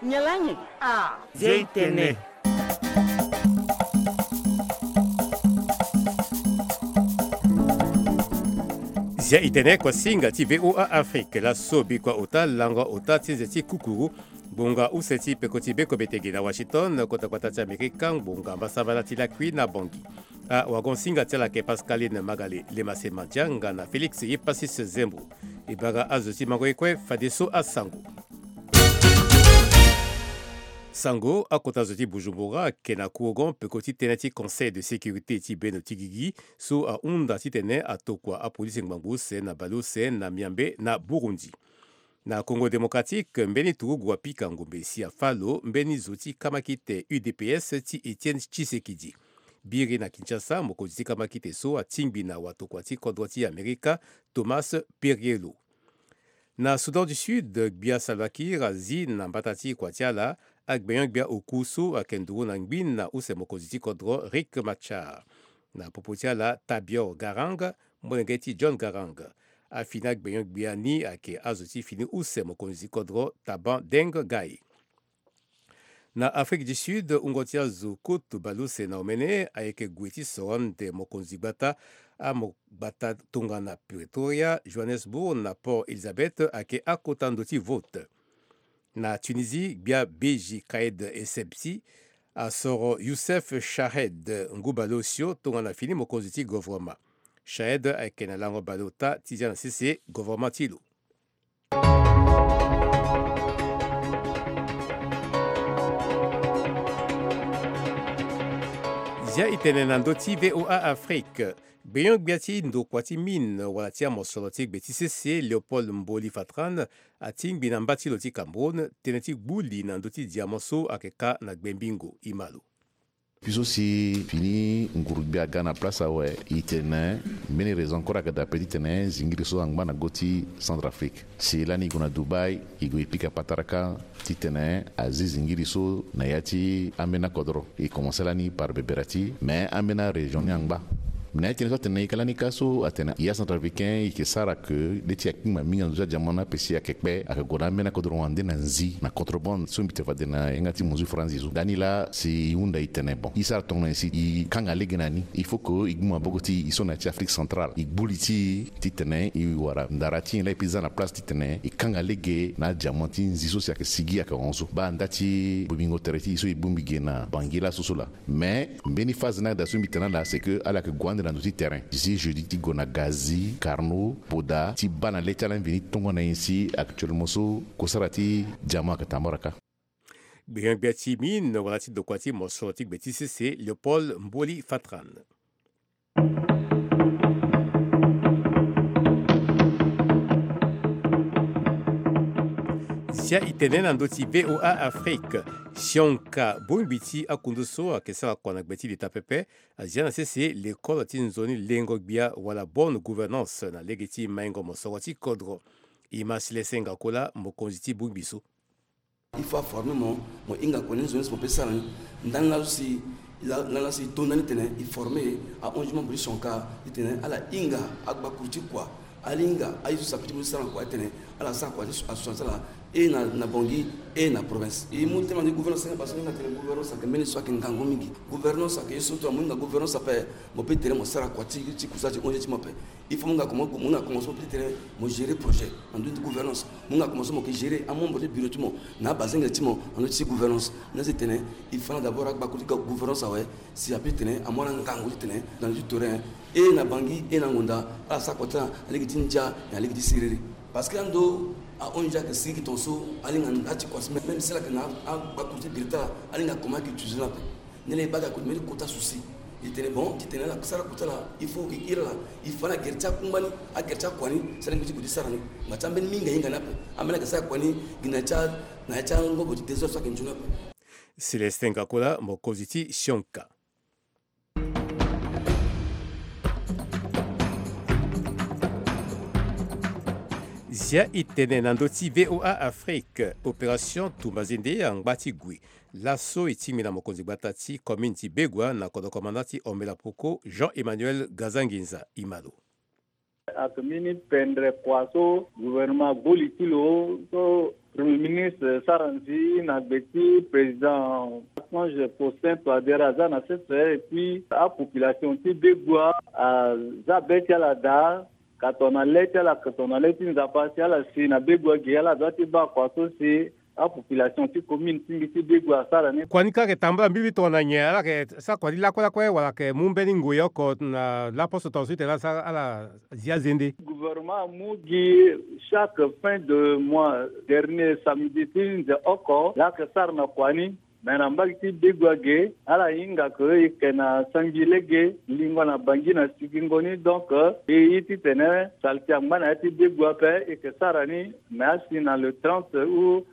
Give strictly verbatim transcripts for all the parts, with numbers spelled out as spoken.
Nyen lani? Ah. Zia i tene. Zia i tene, kuasinga ti V O A Afrique. Laso bikua ota lango ota ti nze ti kukuru. Ngbonga use ti peko ti beko betege na Washington, kota gbata ti Amerika, ngbonga mbasambala ti lakui na Bangui. Awagonsinga ti ala ayeke Pascaline Magale, Lemase Mandianga na Félix Yepasis Zembo. E bara azo ti mango ye kue fadeso asango. Sango, akota zo ti Bujumbura ayeke na kuogon peko ti tënë ti Conseil de sécurité ti bendo ti gigi so ahunda titene atokua apolisi ngbangbo use na baleuse na Miambe na Burundi. Na Congo Démocratique, mbeni turugu apika ngombe si afâ lo mbeni zo ti kamakite U D P S ti Étienne Tshisekedi. Biri na Kinshasa, mokonzi ti kamakite so atingbi na watokua ti kodro ti Amerika, Thomas Perriello. Na Soudan du Sud, gbia Salva Kiir azi na mbata ti kua ti ala agbenyo-gbia oku so ayeke nduru na ngbin na use mokonzi ti kodro Riek Machar. Na popo ti ala, Tabior Garang, molenge ti John Garang, afini agbenyo-gbia ni ayeke azo ti fini use mokonzi ti kodro Taban Deng Gai. Na Afrique du Sud, wungo ti azo koto baleuse na omene ayeke gue ti soro ande mokonzi gbata. Amo gbata tongana Pretoria, Johannesburg na Port Elizabeth ayeke akota ndo ti vote. Na Tunisie, gbia Beji Khaled Essebsi asoro Youssef Chahed ngu baleosio tongana fini mokonzi ti govoroma. Chahed ayeke na lango baleota ti zia na sese govoroma ti lo. Zia i tene na ndö ti V O A Afrique. Gbenyo-gbia ti ndokua ti mine wala ti amosoro ti gbe ti sese, Léopold Mboli Fatran, atingbi na mba ti lo ti Cameroun tënë ti gbu li na ndö ti diamant so ayeke kâ na Gbembingo. E ma lo. Puis aussi, fini nguru-gbia aga na place awe, e tene mbeni raison kue ayeke daa ape titene zingiri so angba na go ti Centrafrique. Si lani e gue na Dubaï, e gue e pika pataraka titene azi zingiri so na ya ti ambeni akodro. E commencé lani par Beberati, mais ambeni arégion ni angba. Mais na ya ti tene so atene e ka lani ka so atene ya Centrafricain e yeke sara ke nde ti akpingba mingi na ndö ti adiamant ni ape si ayeke kpe ayeke gue na ambeni akodro wande na nzi na contrebande so mbi tene fade na yanga ti mozu franzi so. Dani laa si e hunda e tene bon, e sara tongana nyen si e kanga lege na ni? Il faut que e gbu maboko ti e so na ya ti Afrique centrale, e gbu li ti e titene e wara ndara ti nyen laa e peut za na place titene e kanga lege na adiamant ti nzi so si ayeke sigi ayeke hon so. Baa nda ti bobingo tere ti e so e bongbi ge na Bangui laso so laa. Mais mbeni phase ni ayeke daa so mbi tene ala, c'est que ala yeke gue ande na ndö ti terrain. Zi jeudi ti gue na Gazi, Carnot, Poda, ti baa na le ti ala ni veni tongana nyen si actuellement so kosara ti diamant ayeke tambara kâ. Gbenyo-gbia ti mine wala ti ndokua ti mosoro ti gbe ti sese, Léopold Mboli Fatran. Zia e tene na ndö ti V O A Afrique. Sionka, bongbi ti akundu so ayeke sara kua na gbe ti leta pepe, azia na sese lekole ti nzoni lengo gbia wala bonne gouvernance na lege ti maingo mosoro ti kodro. E ma Célestin Ngakola, mokonzi ti bongbi so. Il faut aformer mo, mo hinga kua ni nzoni si mo peut sara ni. Ndani laso si la, la, laso si e to ndani titene e former ahunzi membre ti sionka titene ala hinga agbakuru ti kua, ala hinga aye so si ape ti mo ti sara na kua titene ala sara kua ti association ti ala, e na, na Bangui, e na province. E mu tënë na ndö ti gouvernance ni parce que ni atene gouvernance ayeke mbeni so ayeke ngangu mingi. Gouvernance ayeke ye so tonga mo hinga gouvernance ape, mo peut tene mo sara kua ti, ti kusala ti hunzi ti mo ape. Il faut mo hinga commencer, mo hinga commencer mo peut tene mo gérer projet na ndö ti gouvernance. Mo hinga commencer mo yeke gérer amembre ti bureau ti mo na abazengele ti mo na ndö ti gouvernance. Ni asi tene il faut na d'abord agbakuru ti gouvernance awe, si ape titene amu ala ngangu titene na ndö ti terrain, e na Bangui, e na Ngonda, ala sara kua ti ala na lege ti ndia na lege ti siriri. Parce que ando a-O N G ayeke sigi gi tongaso, ala hinga nda ti kua si même si ala yeke na agbakuru ti biri ti ala, ala hinga comment ayeke utiliser ni ape. Nilaa e baa ga kua ti mbeni kota souci. E tene bon, titene ala sara kota laa, il faut e iri ala, e fa ni agere ti akungba ni, agere ti akua ni, si ala lingbi ti gue ti sara ni. Ngba ti ambeni mingi ahinga ni ape. Ambeni ayeke sara kua ni gi na ya ti a, na ya ti angobo ti désordre so ayeke nzoni ape. Célestin Ngakola, mokonzi ti sionka. Zia e tene na ndö ti V O A Afrique, opération tumba zende angba ti gue. Laso e tingbi na mokonzi gbata ti commune ti Begoua na kodro commandant ti Ombela Poko, Jean Emmanuel Gazanginza. E ma lo. Ayeke mbeni pendre kua so gouvernement agbo li ti lo so Premier ministre sara nzi na gbe ti président Archange Faustin Touadéra aza na sese, et puis apopulation ti Begoua aza be ti ala daa. Ka tongana le ti ala, ka tongana le ti Nzapa si ala si na Begoua ge, ala doit ti baa kua so si apopulation ti commune ti mbi ti Begoua asara ni. Kua ni kâ ayeke tambula mbibi tongana nyen? Ala yeke sara kua ti lakue lakue wala ayeke mu mbeni ngoi oko na laposo tongaso ti tene ala sara ala zi azende? Gouvernement amu gi chaque fin de mois, dernier samedi ti nze oko, la ayeke sara na kua ni. Me na mbage ti Begoua ge, ala hinga ke e yeke na sangi lege, lingo na Bangui na sigingo ni. Donc e ye titene saleté angba na ya ti Begoua ape, e yeke sara ni. Me asi na le trente ou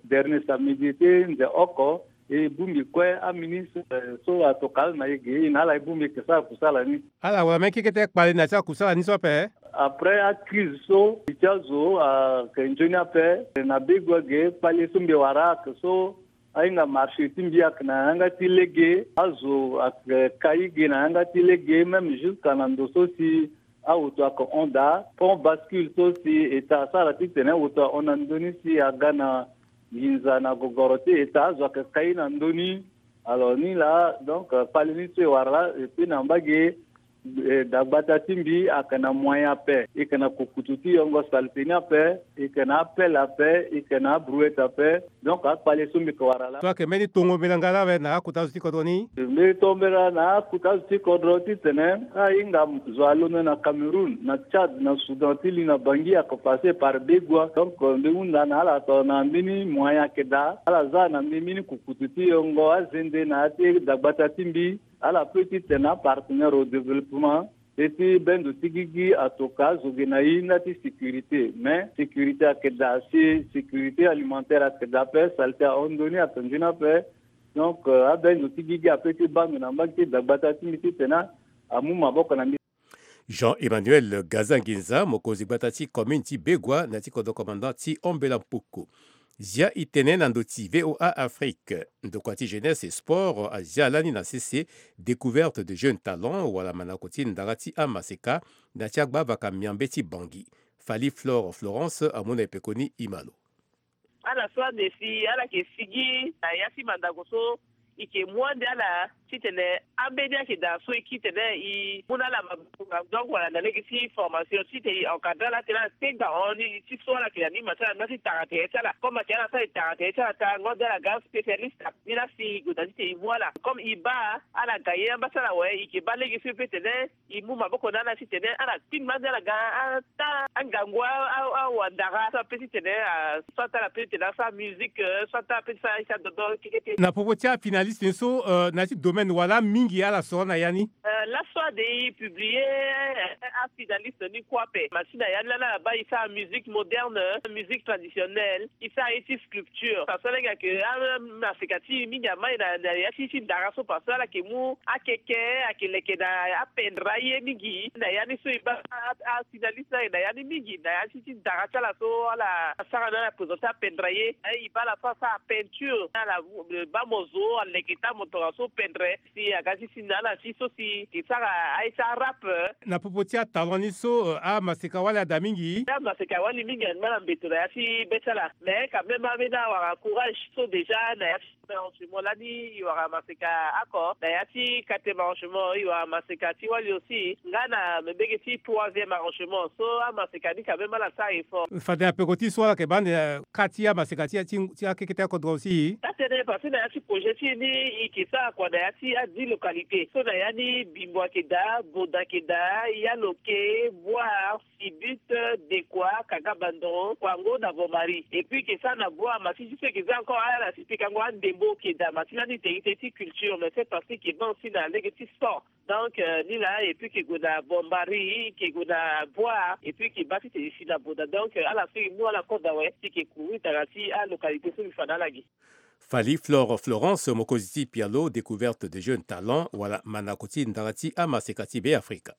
dernier samedi ti nze oko, e bongbi kue aministre so atokua ala na e ge, e na ala e bongbi e yeke sara kusala ni. Ala wara mbeni kekete kpale na ya ti akusala ni so ape. Après acrise so li ti azo ayeke nzoni ape na Begoua ge, kpale so mbi wara ayeke so ahinga marché ti mbi ayeke na yanga ti lege, azo ayeke kai ge na yanga ti lege, même jusqu'à na ndo so si awoto ayeke hon daa, pont bascule so si État asara titene awoto ahon na ndö ni si aga na nginza na gogoro ti État, azo ayeke kai na ndö ni. Alors ni laa, donc kpale ni so e wara laa, et puis na mbage, eh, dagbata ti mbi ayeke na moyen ape, e yeke na kukutu ti yongo saleté ni ape, e yeke na apelle ape, e yeke na abrouette ape. Donc akpale so mbi yeke wara laa. So ayeke mbeni tongo mbela nga laa awe na akota zo ti kodro ni? Mbi tongo mbela na akota zo ti kodro titene ahinga zo alondo na Cameroun, na Tchad, na Soudan ti li na Bangui ayeke passer par Begoua. Donc mbi hunda na ala tongana mbeni moyen ayeke daa, ala za na mbi mbeni kukutu ti yongo azende na ya ti dagbata ti mbi. Ala peut titene apartenaire au développement, e ti bendo ti gigi atokua azo ge na e nda ti sécurité. Mais sécurité ayeke daa si sécurité alimentaire ayeke daa ape, saleté ahon ndö ni ayeke nzoni ape. Donc euh, abendo ti gigi ape ti baa ndo na mbage ti dagbata ti mbi titene amu maboko na mbi. Jean Emmanuel Gaza Nginza, mokonzi gbata ti commune ti Begoua na ya ti kodro commandant ti Ombela Mpoko. Zia e tene na ndö ti V O A Afrique. Ndokua ti jeunesse et sport azia lani na sese découverte de jeunes talents wala manako ti ndara ti amaseka na ya ti agbavaka miambe ti Bangui. Fally Flore Florence amu na e pekoni e ma lo. Ala so ande si ala yeke sigi na ya ti mandango so, e yeke mu ande ala titene ambeni ayeke daa so e kiri tene e mu na ala maboko na ndongo wala na lege ti formation titene e encadrer ala titene ala tenga hon ni ti so ala yeke na nima ti ala na ti tara tere ti ala. Comme ayeke ala so e tara tere ti ala tarango ande ala ga spécialiste ni la si e gue daa titene e mu ala. Comme e baa ala ga ye amba ti ala awe, e yeke baa lege so e peut tene e mu maboko na ala titene ala kpingba ande ala ga ata angangu a- a- awandara so ape titene a- so ata ala peut titene asara musique, euh, so ata ape ti sara aye ti adodo kekete. Na popo ti afinaliste ni so, euh, na ya ti domaine wala mingi ala soro na ya ni? Euh, laso ade e publier, euh, afinaliste ni kue ape. Ma si na ya ni lani ala baa e sara musique moderne, musique traditionnelle, e sara ye ti sculpture. Parce que ala yeke amaseka ti e mingi amai na na ya ti ti ndara so parce que ala yeke mu akeke, ayeke leke na apendre aye mingi. Na ya ni so e baa a- a- afinaliste ni ayeke na ya ni mingi na ya ti ti ndara ti ala so ala sara na ala présenter apendre aye. E baa ala so asara peinture, ala baa mo zo aleke taa mo tongaso pendre. Si aga ti si na ala ti so si e sara aye ti arap. Na popo ti atalent ni so, euh, amaseka wali ada mingi? Amaseka wali mingi angba na mbeto na ya ti be ti ala. Mais quand même ambeni awara courage so déjà na ya ti premier arrangement lani e wara maseka oko, na ya ti quatrième arrangement e wara maseka ti wali aussi, nga na mbege ti troisième arrangement so amaseka ni quand même ala sara effort. Fade na peko ti so ala yeke baa ande, euh, ka ti amaseka ti, ti, ti akeke ti akodro aussi. Atene parce que na ya ti projet ti e ni e yeke sara kua na ya ti adix localité so na ya ni Bimbo ayeke daa, Boda ayeke daa, Yaloke, Boire, Sibut, Dekoa, Kagabandon, Kouango na Vomari. Et puis e yeke sara na Boire, ma ti ti so e yeke za encore ala si pikango andembo ayeke daa, ma ti lani iterite ti culture, mais cette fois-ci e yeke baa aussi na lege ti sport. Donc euh, ni laa, et puis e yeke gue na Bombari, e yeke gue na Boire, et puis e yeke baa titene e si na Boda. Donc euh, ala so e mu ala code awe si e yeke couvrir tanga ti alocalité so mbi fa na ala ge. Fally Flore Florence, mokonzi ti pialo, découverte de jeunes talents wala manako ti ndara ti amaseka ti Beafrika.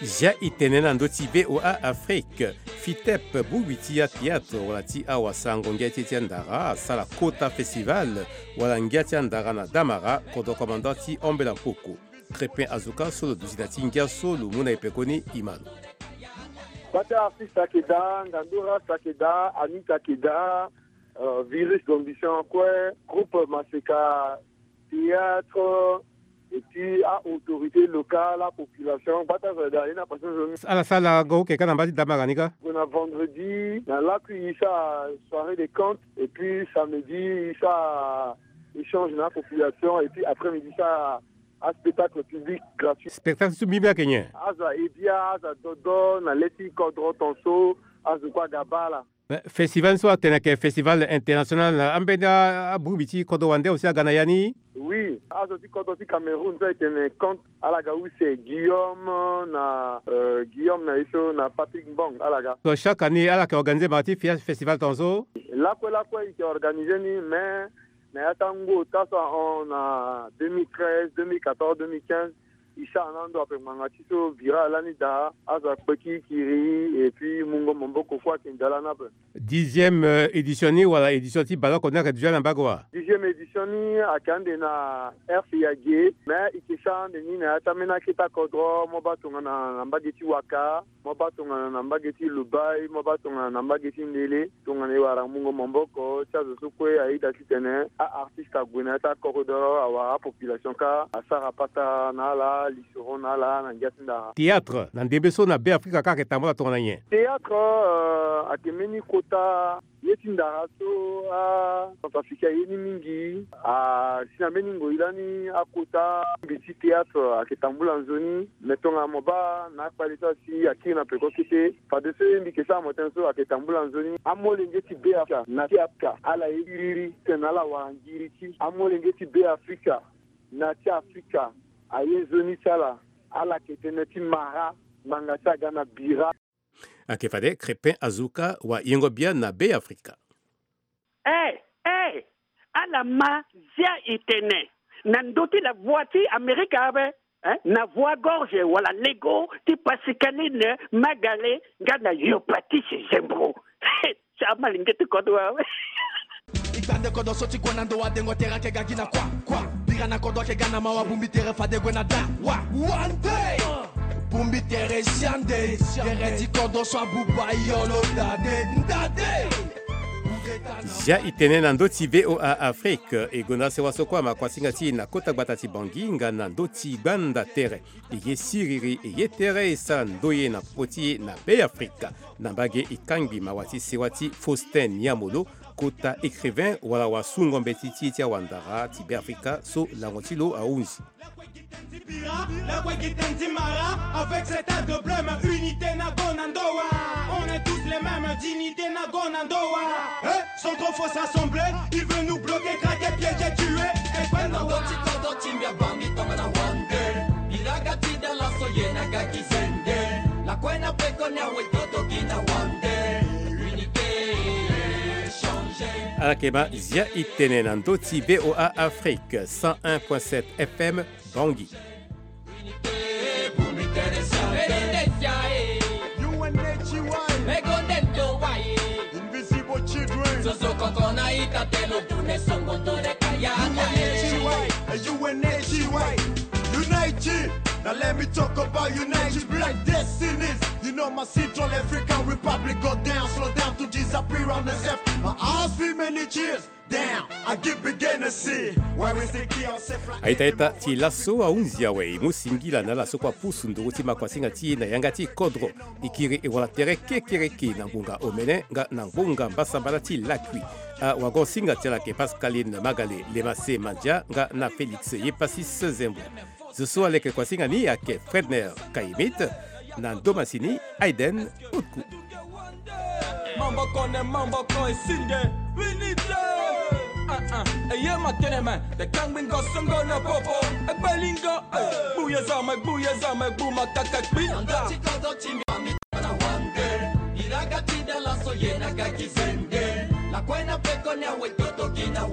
Zia e tene na ndö ti V O A Afrique. Fitep, bongbi ti athéâtre wala ti awasango ngia ti e ti andara asara kota festival wala ngia ti andara na Damara, kodro commandant ti Ambela Mpoko. Crépin Azuka so lo duti na ti ngia so lo mu na e pekoni, e ma lo. Bata artiste ayeke daa, Ngandora ayeke daa, Anita ayeke daa, euh, Virus d'Ambition kue, groupe Maseka, théâtre, et puis a autorité locale, a population, bata azo daa ye na passion zo ni. Ala sara go oke ka na mba ti Damara ni ka? Gue na vendredi na lakui e sara soirée de conte, et puis samedi e sara échange na population, et puis après-midi e sara a spectacle public gratuit. Spectacle so mbi mbi ayeke nyen? Azo aye bia, azo adodo na le ti kodro tonso, azo kue aga baa ala. Eh, festival ni so atene ayeke festival international, na ambeni a-, abongbi ti kodro wande aussi aga na ya ni? Oui, azo ti kodro ti Cameroun so ayeke tene compte, ala ga use Guillaume na, euh, Guillaume na ye so na Patrick Mbong, ala ga. So chaque année ala yeke organiser mara ti fia-, festival tongaso? Lakue lakue e yeke organiser ni, mais na ya ti ango ota so ahon na deux mille treize, deux mille quatorze, deux mille quinze, e sara na ando ape ngbanga ti so vira lani daa, azo akpe kiri kiri, et puis mungo maboko kue ayeke nzia lani ape. Dixième, euh, édition ni wala édition ti bale oko ni ayeke déjà na mbage wa? Dixième édition ni ayeke ande na R C A G, mais e yeke sara ande ni na ya ti ambeni akete kodro, mo baa tongana na mbage ti Waka, mo baa tongana na mbage ti Lobaye, mo baa tongana na mbage ti Ndele, tongana e wara mungo maboko ti azo so kue ayeda titene a-artiste ague na ya ti akodro, awara apopulation kâ, asara pata na ala, lisoro na ala na ngia ti ndara. Théâtre na ndembe so na Beafrika kâ ayeke tambula tongana nyen? Théâtre, euh, ayeke mbeni kota ye ti ndara so a-Centrafricain aye ni mingi. A si na mbeni ngoi lani akota mbi ti théâtre ayeke tambula nzoni. Me tongana mo baa na akpale so asi akiri na peko kete, fadeso ye mbi yeke sara mo tënë so ayeke tambula nzoni. Amolenge ti Beafrika na ti Afrika ala ye kiriri titene ala wara ngiri ti amolenge ti Beafrika na ti Afrika aye nzoni ti ala. Ala yeke tënë ti mara ngbanga ti aga na bira. Ayeke fade Crépin Azuka wayengo bia na Beafrika. Eh, eh, ala ma zia e tene na ndö ti la voix ti Amerika ape, eh, na voix gorge wala lego ti Pascaline Magale nga na Yopatis Zembro. Ti amalenge ti kodro awe. E gbande kodro so ti gue na ndo wa dengo tere ayeke ga gi na kua, kua. Bira na kodro ayeke ga na mawa, bongbi tere fade gue na da, wa. Wande. Bongbi tere si ande. Tere ti kodro so abuba yo lo dade, ndade. Zia e tene na ndö ti V O A Afrique, e gonda sewa so kue amakuasinga ti e na kota gbata ti Bangui nga na ndö ti gbanda tere. E ye siriri, e ye tere e sara ndoye na popo ti e na Beafrika. Na mbage e kangbi mawa ti sewa ti Faustin Niamolo, kota écrivain wala wasungo mbeti ti e ti awandara ti Beafrika so lango ti lo ahunzi. Avec cet art de bleu, unité na go na ndo wa. On est tous les mêmes, dignité na go na ndo wa. Eh, sans trop faut s'assembler, il veut nous bloquer, traquer, piéger, tuer. Et na ndö ti kodro ti mbi abambi tongana wande. Biraga ti da laso ye na ga gi zende. Lakue na peko ni awe toto gi na wande. Unité, changer. Ala yeke ma zia e tene na ndö ti V O A Afrique, cent un point sept F M, Bangui. U N H C Y. Invisible Children. U N H C Y, U N H C Y. Unite. Now let me talk about Unite Black Destinies. You know my Central African Republic go down, slow down to disappear on the self. My eyes feel many cheers. Down, I give beginner see. Why we stick here, self like. Aita ita ti laso ahunzi awe e mu singila na ala so kue apusu nduru ti makuasinga ti e na yanga ti kodro. E kiri e wara tere kekereke na ngbonga omene nga na ngbonga mbasambala ti lakui. Awagosinga ti ala ayeke Pascaline Magale, Lemase Mandia nga na Félix Yepasis Zembo. Zo so aleke kuasinga ni ayeke Fredner Kayemit, na ndo masini Aiden Utku. Mamboko ne mamboko esinde, unité. Ah, ah, eye matene me, te kangbi ngo songo na popo, ekpelingo, eh, gbuye zame, gbuye zame, gbu makaka kpi. Anda ti kodro ti mbi na wande, iraga ti da laso ye na ga gi zende, lakue na peko ni awe toto gi na